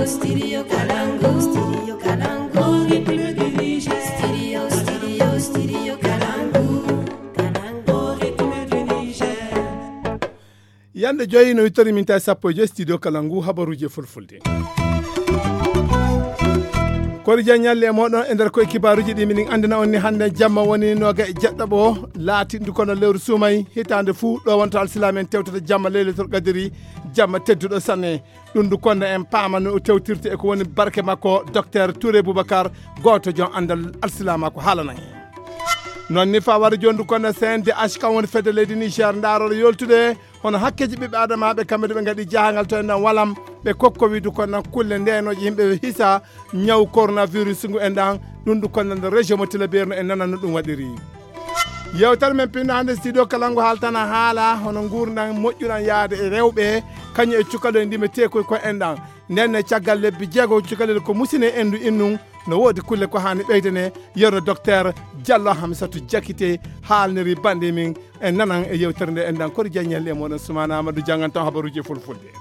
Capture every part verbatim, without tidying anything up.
Studio Kalangu, Studio Kalangu, République du Niger. Studio, Studio, Studio Kalangu, Kalangu, République du Niger. Yande joyi no wittori min tawi sappo e joyi studio kala ngu habaruji e fulfulde. Kori jan ñalle e moɗon e nder koye kibaruji ɗi minin andina on ni hande jamma woni noga e jeɗɗaɓo laati ndu kono lewru sumay hitande fuu ɗo wonto alsilamen tewtata jamma leylatul qadiri jamma tedduɗo sanne. Ɗum ndu konda en paama no tewtirte e ko woni barke makko docteur Touré Boubacar, gooto jon andal alsilama ko haalana en. Non ni fa wari joni ndu konda C N D H kam woni fedde leydi Niger ndaarol yoltude hono hakkeji ɓiɓɓe adamaɓe kamɓe de ɓe gaɗi jahangal to en ɗan walam ɓe kokkowi ndu konda kulle ndenoje yimɓe hisa ñaw coronavirus ngu en ɗan. Ɗum ndu konda nder région mo Tilaberi no en nananno ɗum waɗiri. Yewtere men pinno hannde studio kala ngu haaltana haala hono nguurndam moƴƴuɗam yaade e rewɓe kañum e cukalel ndime tekoy ko en ɗan. Nden ne caggal lebbi jeego cukalel ko musine endu innun no woodi kulle ko haani ɓeydane. Yerno docteur Diallo Hamsatou Diakité haalniri bande min en nanan e yewtere nde en ɗan kori jaññel e moɗon Soumana Amadou janngan taw habaruji e fulfulde.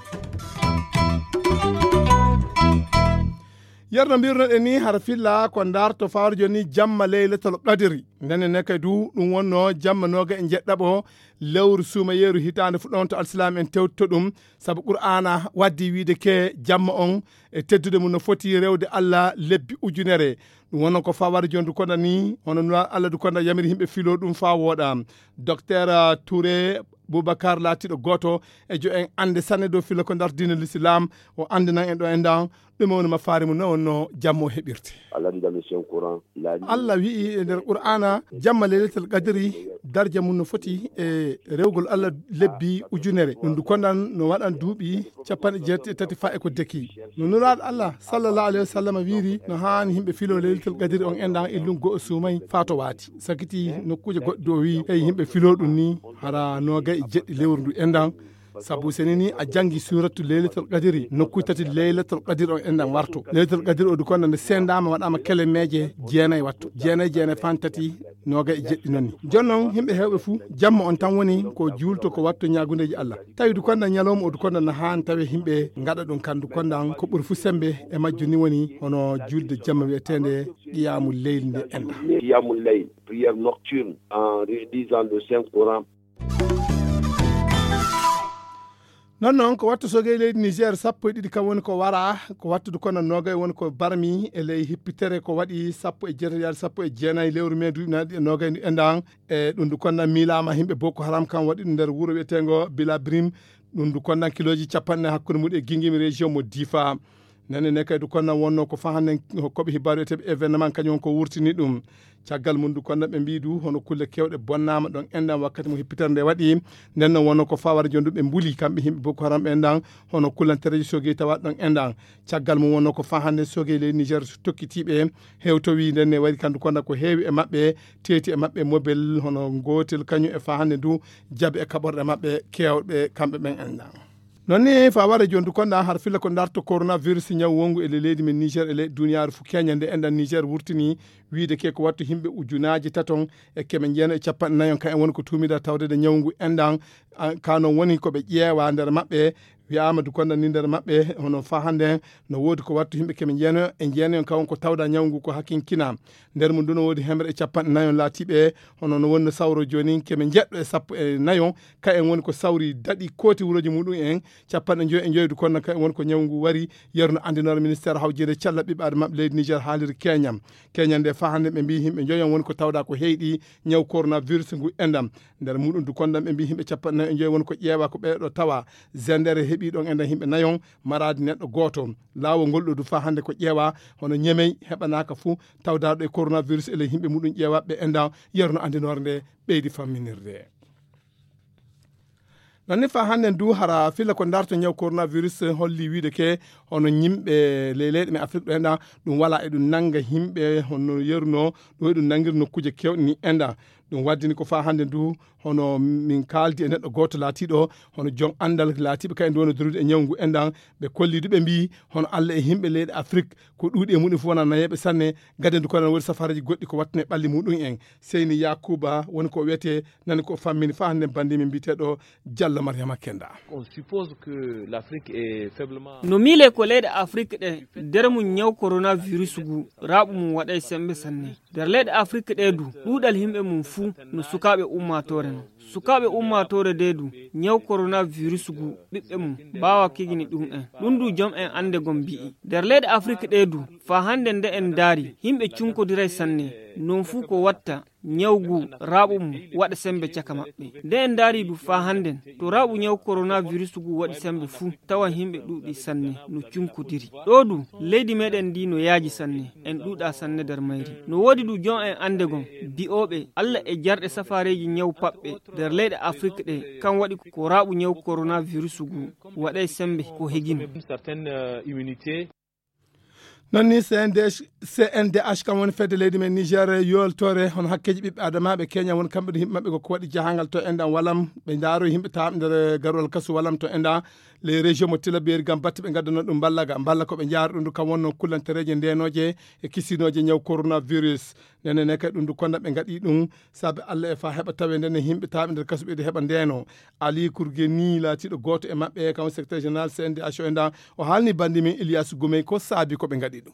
Yerno mbirnoɗen ni hara filla ko ndarto fawre joni jamma leylatal qadiri. Ndenen ne kay du ɗum wonno jamma noga e jeɗɗaɓo lewru suumayeeru hitaande fuɗɗoonto alsilaam en tewtito ɗum. Sabu qur'aana waddi wiide ke jamma on e teddude mum no foti rewde allah lebbi ujunere. Ɗum wonno ko faware joni du konda ni hono nula allah du konda yamiri yimɓe filo ɗum fa wooɗa. Docteur Touré Boubacar laatiiɗo gooto e jo en annde sanne dow filo ko ndarto diina l'islam o anndinan en ɗo e ndan ɗume woni mafaari mum no wonno jammo heɓirte. Allah dit dans le Saint Coran, la nuit. Allah wi'i e nder qur'aana jamma leylatal qadiri darja mum no foti e rewgol allah lebbi ujunere ɗum du kondan no waɗan duuɓi capanɗe jeetati e tati fa e ko deki. No nulaaɗo allah sallallahu alayhi wa sallam wiiri no haani yimɓe filo leylatal qadiri on endan illun go'o suumay faa to waati sakiti nokkuuje goɗɗe o wi'i hey yimɓe filo ɗum ni hara noogay e jeɗɗi lewru ndu endan. Sabu seni ni a jangi suratu leylatul qadiri nokkuy tati leylatul qadiri on enɗan warto leylatul qadiri o du konda nde sendama waɗama kelemeje jeenay watto jeenay jeenay fan tati noga e jeɗɗi nonni. Jon non yimɓe hewɓe fuu jamma on tan woni ko juulto ko watto ñagundeji allah. Tawi du konda ñalawma o du konda na han tawi yimɓe gaɗa ɗum kandu kondan ko ɓuri fuu sembe e majju ni woni hono julde jamma wiyetende qiyamu leyli nde enɗan. Qiyamul layl, prière nocturne en réalisant le Saint Coran. Non non ko wattu sogey leydi niger sappo e ɗiɗi kam woni ko wara ko wattude kono nogay woni ko barmi e ley hippitere ko waɗi sappo e jeetati yaade sappo e jeenayi lewru mai duuɓi naɗi e nogay e ndan. E ɗum du konnan miilama yimɓe boko haram kam waɗi ɗum nder wuro wiyetengo bila brim. Ɗum du konnan kiloji capanɗe hakkunde muɗum e gingimi région mo difa. Nene ne kay du konnan wonno ko fahannen hokkoɓe hibbaru eteɓe événement kañum on ko wurtini ɗum. Caggal mum du konnan ɓe mbi du hono kulle kewɗe bonnama ɗon enɗan wakkati mo hippitere nde waɗi. Nden non wonno ko fawara joni du ɓe mbuli kamɓe yimɓe boko haram ɓe enɗan hono kullantereji sogey tawa ɗon enɗan. Caggal mum wonno ko fahannen sogey leydi niger tokkitiɓe hewtowi nden ne waɗi kandu konnan ko heewi e maɓɓe teeti e maɓɓe mobel hono gotel kañum e fahannen du jaɓe e kaɓorɗe maɓɓe kewɗe kamɓe ɓen enɗan. Non ni fa wara joni du konda har filla ko darto coronavirus ñaw wongu e leydi men niger e leydi duniyaaru fu keña nde enɗan niger wurtini wiide ke ko wattu yimɓe ujunaji taton e keme jeeno e capanɗe nayon ka en woni ko tuumida tawdede ñaw ngu enɗan. Ka non woni ko ɓe ƴeewa nder maɓɓe wiyama du konda ni nder maɓɓe hono fa hande no woodi ko wattu yimɓe keme jeeno e jeenayon ka won ko tawda ñaw ngu ko hakinkina. Nder mum du no woodi hemre e capanɗe nayon laatiɓe hono no wonno sawro joni keme jeɗɗo e sappo e nayon. Ka en woni ko sawri daɗi kooti wuroji muɗum en capanɗe joyi e joyi du konno ka en woni ko ñaw ngu wari. Yerno andinore ministére hawjede cella ɓiɓɓe adamaɓe leydi niger haaliri keñam keñam nde fa hande ɓe mbi yimɓe joyon woni ko tawda ko heyɗi ñaw coronavirus ngu enɗam. Nder muɗum du konɗam ɓe mbi yimɓe capanɗe nayo e joyi woni ko ƴeewa ko ɓeeɗo tawa zendere heɓi ɗon enɗam yimɓe nayon maradi neɗɗo gooto. Laawol ngol ɗo du fa hande ko ƴeewa hono ñemey heɓanaka fuu tawdaɗo e coronavirus e ley yimɓe muɗum ƴeewaɓe enɗam. Yerno andinore nde ɓeydi famminirde. Nonni fa hannden du hara filla ko darto ñaw coronavirus holli wiide ke hono ñimɓe ley leyɗe men afrique ɗo enɗa ɗum wala e ɗum nanga yimɓe hono yeruno ɗo e ɗum nangir nokkuuje kewɗe ni enɗa. Ɗum waddini ko faa hannde ndu, hono min kaaldi e neɗɗo gooto laatiiɗo hono jom anndal laatiiɓe kay ndu woni dowlude e ñawngu enɗan. Ɓe kolli du, ɓe mbii hono Alla e yimɓe leyɗe Afrik ko ɗuuɗi e muɗum fof wona nayeeɓe sanne. Gade ndu kono woni safareeji goɗɗi ko wattane ɓalli muɗum en. Seyni Yakuba woni ko wiyetee, nani ko fammini faa hannde banndi min mbiyeteeɗo Jallo Mariama Kenda. On suppose que l'Afrique est faiblement. No miile ko leyɗe Afrik ɗe, nder mum ñaw coronavirus ngu raaɓu mum waɗay semmbe sanne. Nder leyɗe Afrik ɗe du, ɗuuɗal yimɓe mum fuu no sukaaɓe ummaatoore non. Sukaaɓe ummaatoore de du, ñaw coronavirus ngu ɓiɓɓe mum baawa kigini ɗum en. Ɗum du jom en annde gom mbi'i. Nder leyɗe Afrik ɗe du, faa hannde nde en ndaari, yimɓe cunkodiray sanne. Non fuu ko watta ñaw ngu raaɓu mum waɗa semmbe caka maɓɓe. Nde en ndaari du faa hannden, to raaɓu ñaw coronavirus ngu waɗi semmbe fuu, tawa yimɓe ɗuuɗi sanne no cunkodiri. Ɗo du, leydi meɗen ndi no yaaji sanne, en ɗuuɗa sanne nder mayri. No woodi du jom en annde gom, bi'ooɓe Alla e jarɗe safaareeji ñaw paɓɓe nder leyɗe Afrik ɗe, kan waɗi ko raaɓu ñaw coronavirus ngu waɗay semmbe ko higino. Non ni C N D H, C N D H kam woni fedde leydi men Niger yoltore hono hakkeeji ɓiɓɓe adamaaɓe Kenya woni kamɓe ɗo yimɓe maɓɓe ko waɗi jahangal to enɗan Walam, ɓe ndaaro yimɓe taaɓe nder garwal kasu Walam to enɗan les régions mo Tilaberi ngam batte ɓe ngaddanoo ɗum mballa ga mballa ko ɓe njaara ɗum du kam wonno kullantereeje ndeenooje e kisinooje ñaw coronavirus. Nene ne kay ɗum du konda ɓe ngaɗi ɗum saabe Alla e faa heɓa tawe ndene yimɓe taaɓe nder kasu ɓeyde heɓa ndeeno. Ali Kurgeni laatiiɗo gooto e maɓɓe kam secrétaire général C N D H o enɗan, o haalni banndi men Ilyasu Gumey ko saabi ko ɓe ngaɗi ɗum.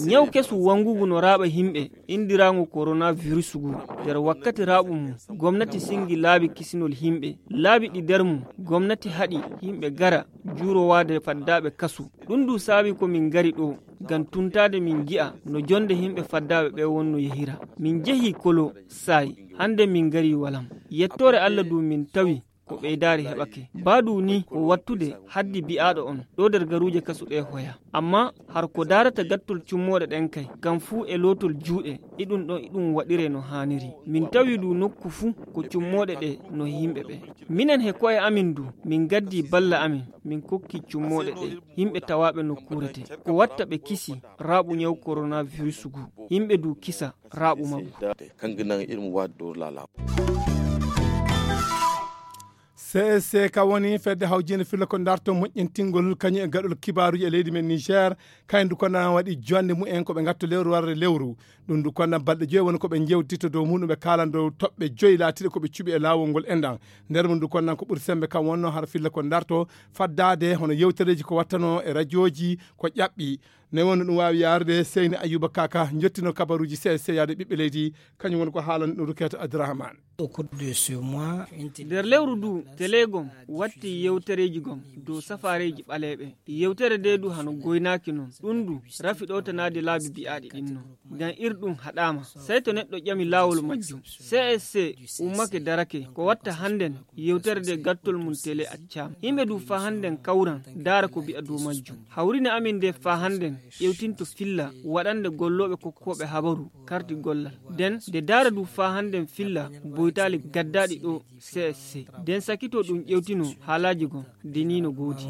Ñaw kesu wanngugu no raaɓa yimɓe, inndiraangu coronavirus ngu. Nder wakkati raaɓu mum, gomnati sinngi laabi kisinol yimɓe, laabi ɗi nder mum gomnati haɗi yimɓe gara juurowaade faddaaɓe kasu. Ɗum du saabi ko min ngari ɗo ngam tuntaade min nji'a no jonnde yimɓe faddaaɓe ɓe wonno yehira. Min njehi Kolo, Saay, hannde min ngari Walam. Yettoore Alla du min tawi ko ɓeydaari heɓake. Baadu ni ko wattude haddi bi'aaɗo on ɗo nder garuuje kasu ɗe hoya. Amma har ko daarata gattol cummooɗe ɗen kay, kam fuu e lootol juuɗe, iɗum ɗon iɗum waɗire no haaniri. Min tawi du nokku fuu ko cummooɗe ɗe no yimɓe ɓe. Minen he ko'e amin du, min ngaddi balla amin, min kokki cummooɗe ɗe yimɓe tawaaɓe nokkuure te. Ko watta ɓe kisi raaɓu ñaw coronavirus ngu, yimɓe du kisa raaɓu maggu. C S C ka woni fedde hawjinde filla ko darto moƴƴintingol kañum e gaɗol kibaaruji e leydi men Niger. Kayen du kondan waɗi jonde mumen ko ɓe ngatto lewru warre lewru. Ɗum du kondan balɗe joyi woni ko ɓe jewtito dow muɗum ɓe kaalan dow toɓɓe joyi laatiɗe ko ɓe cuɓi e laawol ngol enɗan. Nder mum du kondan ko ɓuri sembe kam wonno hara filla ko darto faddaade hono yewtereeji ko wattano e rajooji ko ƴaɓɓi. Ne woni ɗum waawi yaarude Seyni Ayuba Kaka jottino kabaruuji C S C yaade ɓiɓɓe leydi. Kañum woni ko haalani ɗum Rukiyatu Abdurahman. Nder lewru du, tele gom watti yewtereeji gom dow safaareeji ɓaleeɓe. Yewtere nde du hano goynaaki non. Ɗum du rafi ɗowtanaade laabi bi'aaɗi ɗin non. Ngam ir ɗum haɗaama. Sey to neɗɗo ƴami laawol majjum. C S C ummake darake. Ko watta hannden yewtere nde gattol mum tele accaama. Yimɓe du faa hannden kawran ndaara ko bi'a dow majjum. Hawrine amin nde faa hannden ƴewtinto filla waɗande gollooɓe kokkooɓe habaru karti gollal. Den nde daara du faa hannden filla boytaali gaddaaɗi ɗo C S C. Den sakito ɗum ƴewtino haalaaji gon de ni no goodi.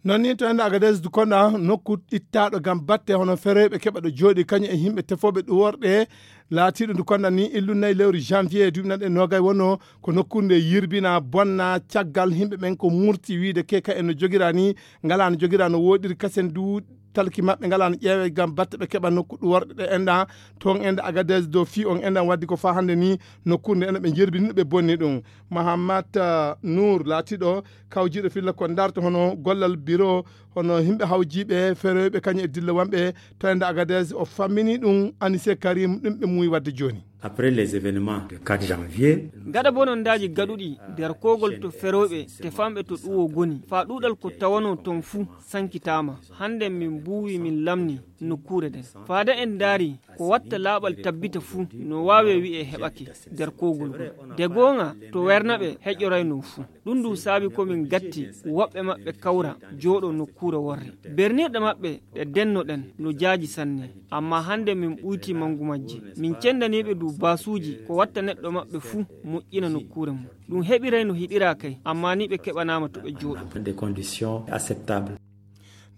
Non ni to ende Agadez du konda nokku ittaaɗo ngam batte hono feroyɓe keɓa ɗo jooɗi kañum e yimɓe tefooɓe ɗuworɗe laatiiɗo du konda ni illu nayi lewru janvier duuɓi naɗe nogay wonno ko nokkuure nde yirbina bonna caggal yimɓe ɓen ko murti wiide ke ka en no jogira ni ngala no jogira no woɗiri kasen du talki maɓɓe ngala no ƴeewe ngam batte ɓe keɓa nokku ɗuworɗe ɗe enɗa toon enɗa Agadez dow fii on enɗan waddi ko faa hannde ni nokkuure nde ene ɓe jerbini ɓe bonni ɗum. Mahamat Nour laatiiɗo kawjiiɗo filla ko darto hono gollal biro hono yimɓe hawjiiɓe feroyɓe kañum e dillewanɓe to ende Agadez o fammini ɗum Anise Karim ɗum ɓe muuyi wadde jooni. Après les événements de quatre janvier. Gaɗa bonondaaji gaɗuɗi nder kogol to feroyɓe tefamɓe to ɗuwo goni faa ɗuuɗal ko tawanoo toon fuu sankitaama. Hannden min mbuuwi min lamni nokkuure nden. Faada en ndaari ko watta laaɓal tabbita fuu no waawee wi'ee heɓake nder kogol ngol. De goonga to wernaɓe heƴoraynoo fuu. Ɗum du saabi ko min gatti woɓɓe maɓɓe kawra jooɗo nokkuure worre. Bernirɗe maɓɓe ɗe dennoɗen no jaaji sanne, amma hannde min ɓuytii manngu majje. Min cenndaniiɓe du baasuuji ko watta neɗɗo maɓɓe fuu moƴƴina nokkuure mum. Ɗum heɓiray no hiɗiraa kay, amma ni ɓe keɓanaama to ɓe jooɗo. Des conditions acceptables.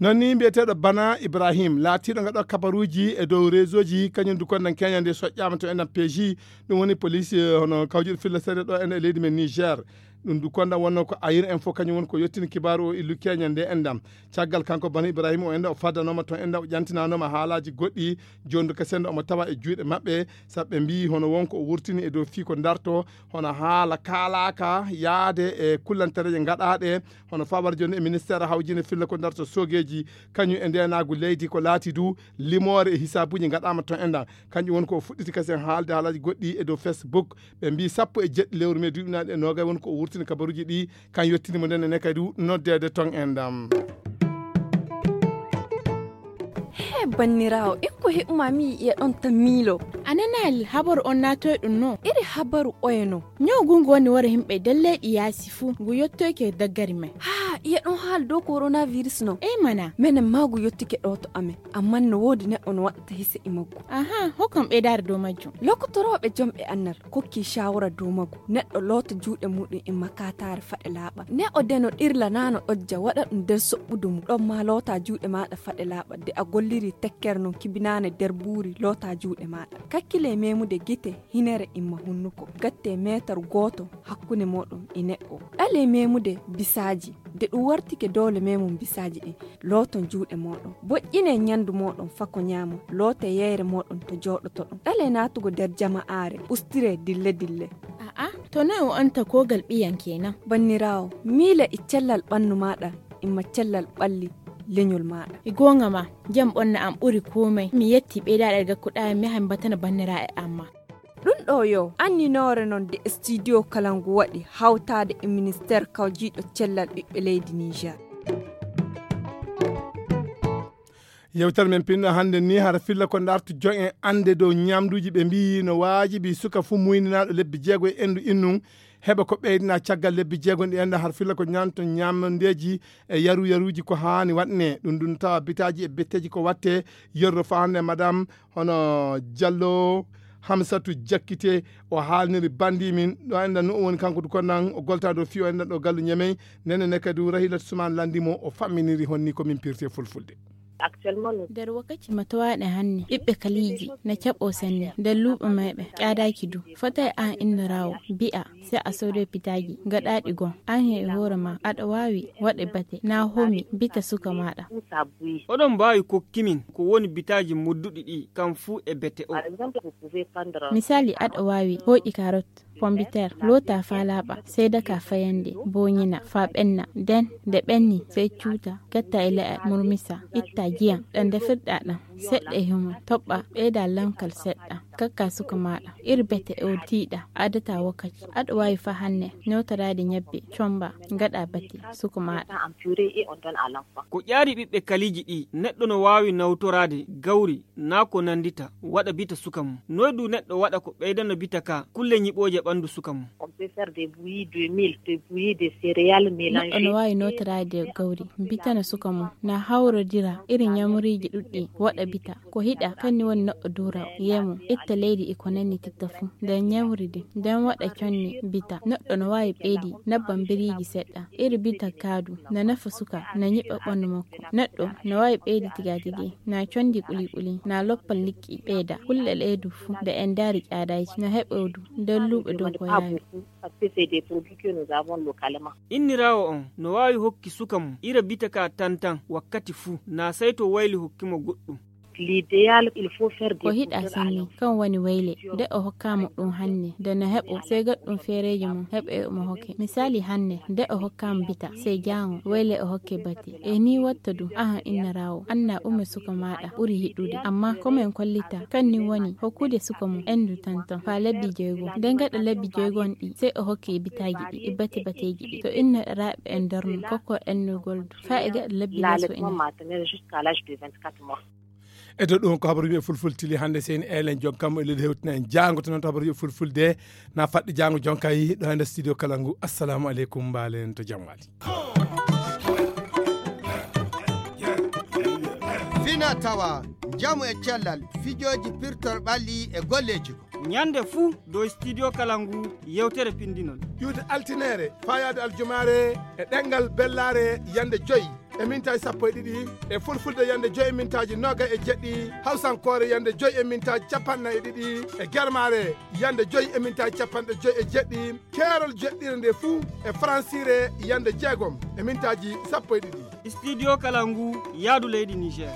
Noon ni mbiyeteeɗo Bana Ibrahim, laatiiɗo ngaɗo kabaruuji e dow réseauji, kañum du kondan keñande soƴƴaama to enɗam P J, ɗum woni police, eh, hono kawjuɗo filla seeɗa ɗo en e leydi men Niger. Ɗum du kondan wonno ko Ayir Info, kañum woni ko yettini kibaaru o illu keñande enɗam. Caggal kanko Bana Ibrahim o enɗa o faddanooma to enɗa o ƴantinanooma haalaaji goɗɗi, jooni du kasen omo tawa e juuɗe maɓɓe, sabu ɓe mbiyi hono wonko o wurtini e dow fii ko darto, hono haala kaalaaka yaade e kullantereeje ngaɗaaɗe, hono fawaade jooni e ministeer hawjinde filla ko darto soogeeji, kañum e ndeenaagu leydi ko laati du limoore e hisaabuuji ngaɗaama to enɗan. Kanƴum woni ko o fuɗɗiti kasen haalde haalaaji goɗɗi e dow Facebook. Ɓe mbiyi sappo e jeɗɗi lewru mee duuɓi naaɗi e noogay woni ko o wurtini kabaruuji ɗi, kan yettini mo nden ene kadi noddeede ton enɗam. He banniraawo, en ko heɓuma mi yi'e ɗon tan miilo. A nanaali habaru on naatoy ɗum no? Iri habaru oye no? Ñaw ngu ngu woni wara yimɓe nder leyɗi yaasi fuu, ngu yottoyke daggari men. Haa, iye ɗon haala dow coronavirus no? Ey mana. Menen maa ngu yottike ɗo to amen, ammaa no woodi neɗɗo no waɗata hise e maggu. Aha, hokkam ɓeydaare dow majjum. Lokotorooɓe jomɓe annal kokki shawara dow maggu. Neɗɗo loota juuɗe muɗum e makataare faɗe laaɓa. Ne o deno ɗirla naa no ɗojja waɗa ɗum nder soɓɓudu mum. Ɗon maa loota juuɗe maaɗa faɗe laaɓa. De a golliri tekkere non kibinaane nder buuri loota juuɗe maaɗa. Kakkile memude gite, hinere imma hunnuko. Gatte meetar gooto hakkunde mooɗon e neɗɗo. Ɗale memude bisaaji. De ɗum wartike doole memum bisaaji ɗin. Looton juuɗe mooɗon. Boƴƴine ñandu mooɗon fako ñaamo. Loote yeyre mooɗon to jooɗotoɗon. Ɗale naatugo nder jama'aare. Ustire dille dille. A'a, to noy o anta kogal ɓiyan kenan? Banniraawo, miile e cellal ɓannu maaɗa, imma cellal ɓalli leñol maaɗa. E goonga ma, jam ɓonna am ɓuri komai. Mi yetti ɓeydaaɗe gakkuɗaa mi yaha mi batana banniraaɓe am ma. Ɗum ɗo yo anninoore non de studio kala ngu waɗi hawtaade e ministeer kawjiiɗo cellal ɓiɓɓe leydi Niger. Yewtere men pinno hannde ni hara filla ko ndartu jo'en annde dow ñamduuji ɓe mbiyi no waajibi suka fuu muynanaaɗo lebbi jeego e endu innun heɓa ko ɓeydina caggal lebbi jeego ɗi enda har filla ko ñaamto ñamandeeji e yaru yaruuji ko haani waɗne. Ɗum ɗum tawa bitaaji e betteeji ko watte yerro fa hannde madame hono Jallo Hamsatu Jakkite o haalniri bandi min ɗo enda no o woni kanko du konnan o goltado fi o enda ɗo gallu ñemey nene ne kadi Rahilatu Suman landi mo o famminiri honni ko min pirte fulfulde. Actuellement, nous nder wakkati ma towaaɗe hannde ɓiɓɓe kaliiji na caɓo sanne nder luuɓe mayɓe ƴaadaaki du fotay aan innoraawo mbi'a si a soodee pitaaji gaɗaaɗi goo aan he hoore ma aɗa waawi waɗe bate na homi bita suka maaɗa. Oɗon mbaawi kokki min ko woni bitaaji modduɗi ɗi kam fuu e bete o. Misaali aɗa waawi hooƴi karot pombiteer loota faa laaɓa sey daka fayannde booñina faa ɓenna nden nde ɓenni sey cuuta gatta e le'al murmisa itta jiyam ɗam ndefirɗaa ɗam seɗɗa e humon toɓɓa ɓeyda lamkal seɗɗa kakka suka maaɗa iri bete o tiiɗa addata wakkati aɗa waawi faa hannde newtoraade ñebbe commba ngaɗa bate suka maaɗa. Ko ƴaari ɓiɓɓe kaliiji ɗi neɗɗo no waawi nawtoraade gawri naa ko nanndita waɗa bita suka mum noy du neɗɗo waɗa ko ɓeydana bita ka kulle ñiɓooje ɓanndu suka mum. Neɗɗo no waawi nootoraade gawri bitana suka mum na hawrodira iri ñamriiji ɗuɗɗi waɗa bita ko hiɗa kanni woni neɗɗo duura yeemum itta leydi e ko nanni titta fuu nder ñamri din nden waɗa conni bita neɗɗo no waawi ɓeydi nabbam biriiji seɗɗa iri bita kaadu na nafa suka na ñiɓa ɓanndu makko neɗɗo no waawi ɓeydi tigatigi na condi quliquli na loppal liƴƴi ɓeyda kulle ɗee du fuu nde en ndaari ƴaadayji no heɓodu nder luuɓe dow ko yaawi. Inniraawo on no waawi hokki suka mum ira bita ka tantan wakkati fuu na sey to wayli hokki mo goɗɗum. Ko hiɗa sanne kan woni wayle nde o hokkaama ɗum hannde nde no heɓo sey gaɗɗum feereejo mum heɓe omo hokke misaali hannde nde o hokkaama bita sey jaango wayle o hokke bate e ni watta du ahan innaraawo anna ume suka maaɗa ɓuri hiɗude amma komin kollita kan ni woni hokkude suka mum endu tantan faa lebbi jeego nde gaɗa lebbi jeego on ɗi sey o hokke e bitaaji ɗi e bate bateeji ɗi to inna raaɓe en darno kokko ennugol du faa e gaɗa lebbi leso ina. E dow ɗum ko habaruuji e fulful tili hannde seyni elen jonkam e leydi hewtina en jaango to noon to habaruuji e fulfulde na faɗɗi jaango jonka yi ɗo hannde studio kala ngu assalamu aleykum mbaalen to jam waali. Fina tawa njamu e cellal fijooji pirtor ɓalli e golleeji ko ñande fuu dow studio kala ngu yewtere pindinol ƴuwde altineere fayaade aljumaare e ɗengal bellaare yande joyi. e mintaaji sappo e ɗiɗi, e fulfulde yande joyi e mintaaji noga e jeɗɗi, hawsankoore yande joyi e mintaaji capanɗe nayi e ɗiɗi, e germaare yande joyi e mintaaji capanɗe joyi e jeɗɗi, keerol jeɗɗire nde fuu e faransire yande jeegom e mintaaji sappo e ɗiɗi. Studio Kalangu, yaadu leydi Niger.